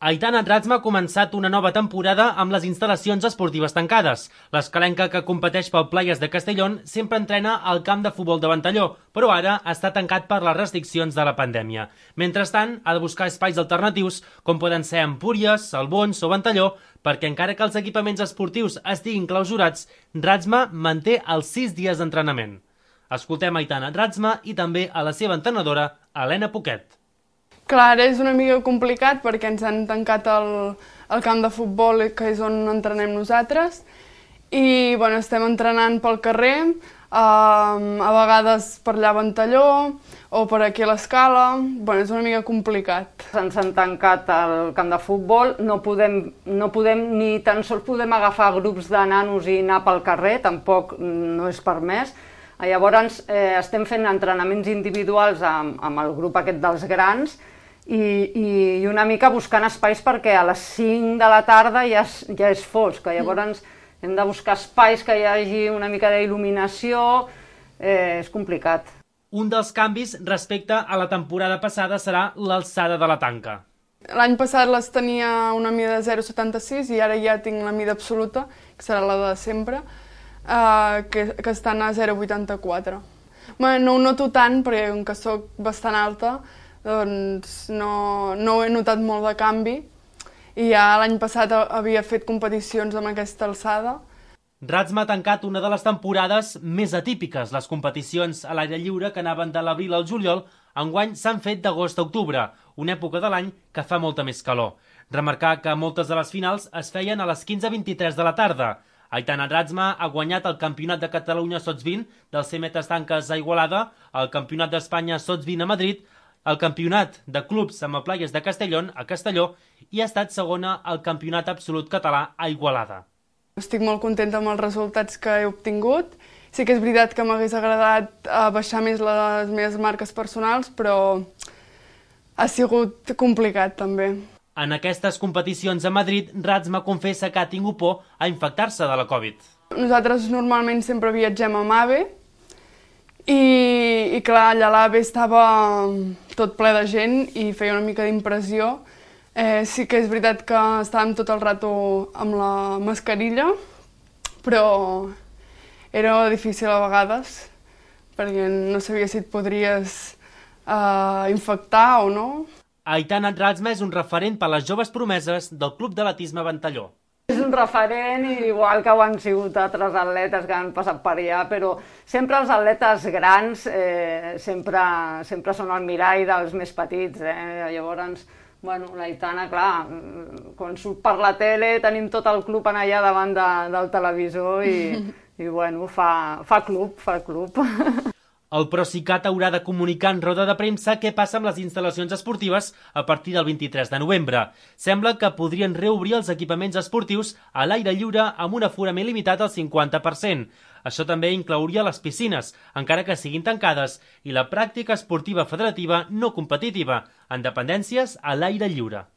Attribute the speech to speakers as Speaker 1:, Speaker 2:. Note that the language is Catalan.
Speaker 1: Aitana Dratsma ha començat una nova temporada amb les instal·lacions esportives tancades. L'escalenca, que competeix pel Playas de Castellón, sempre entrena al camp de futbol de Ventalló, però ara està tancat per les restriccions de la pandèmia. Mentrestant, ha de buscar espais alternatius, com poden ser Empúries, Albons o Ventalló, perquè encara que els equipaments esportius estiguin clausurats, Dratsma manté els 6 dies d'entrenament. Escoltem Aitana Dratsma i també a la seva entrenadora, Helena Poquet.
Speaker 2: Clar, és una mica complicat perquè ens han tancat el camp de futbol, que és on entrenem nosaltres, i bueno, estem entrenant pel carrer, a vegades per allà a Ventalló o per aquí a l'Escala. Bueno, és una mica complicat.
Speaker 3: Ens han tancat el camp de futbol, no podem ni tan sols podem agafar grups de nanos i anar pel carrer, tampoc no és permès. Llavors estem fent entrenaments individuals amb el grup aquest dels grans i una mica buscant espais perquè a les 5 de la tarda ja és fosc. Llavors hem de buscar espais que hi hagi una mica d'il·luminació, és complicat.
Speaker 1: Un dels canvis respecte a la temporada passada serà l'alçada de la tanca.
Speaker 2: L'any passat les tenia una mida de 0,76 i ara ja tinc la mida absoluta, que serà la de sempre, que estan a 0,84. No ho noto tant, perquè com que soc bastant alta, doncs no he notat molt de canvi, i ja l'any passat havia fet competicions amb aquesta alçada.
Speaker 1: Dratsma ha tancat una de les temporades més atípiques. Les competicions a l'aire lliure, que anaven de l'abril al juliol, enguany s'han fet d'agost a octubre, una època de l'any que fa molta més calor. Remarcar que moltes de les finals es feien a les 15:23 de la tarda. Aitana Dratsma ha guanyat el Campionat de Catalunya Sots 20 del 100 metres tanques a Igualada, el Campionat d'Espanya Sots 20 a Madrid, el Campionat de Clubs amb el Playas de Castellón a Castelló i ha estat segona al Campionat Absolut Català a Igualada.
Speaker 2: Estic molt contenta amb els resultats que he obtingut. Sí que és veritat que m'hagués agradat baixar més les meves marques personals, però ha sigut complicat també.
Speaker 1: En aquestes competicions a Madrid, Dratsma confessa que ha tingut por a infectar-se de la Covid.
Speaker 2: Nosaltres normalment sempre viatgem amb AVE i clar, allà l'AVE estava tot ple de gent i feia una mica d'impressió. Sí que és veritat que estàvem tot el rato amb la mascarilla, però era difícil a vegades, perquè no sabia si et podries infectar o no.
Speaker 1: Aitana Dratsma és un referent per a les joves promeses del Club d'Atletisme Ventalló.
Speaker 3: És un referent, igual que ho han sigut altres atletes que han passat per allà, però sempre els atletes grans sempre són el mirall dels més petits. Llavors, l'Aitana, clar, quan surt per la tele tenim tot el club allà davant del televisor i fa club.
Speaker 1: El Procicat haurà de comunicar en roda de premsa què passa amb les instal·lacions esportives a partir del 23 de novembre. Sembla que podrien reobrir els equipaments esportius a l'aire lliure amb un aforament limitat al 50%. Això també inclouria les piscines, encara que siguin tancades, i la pràctica esportiva federativa no competitiva, en dependències a l'aire lliure.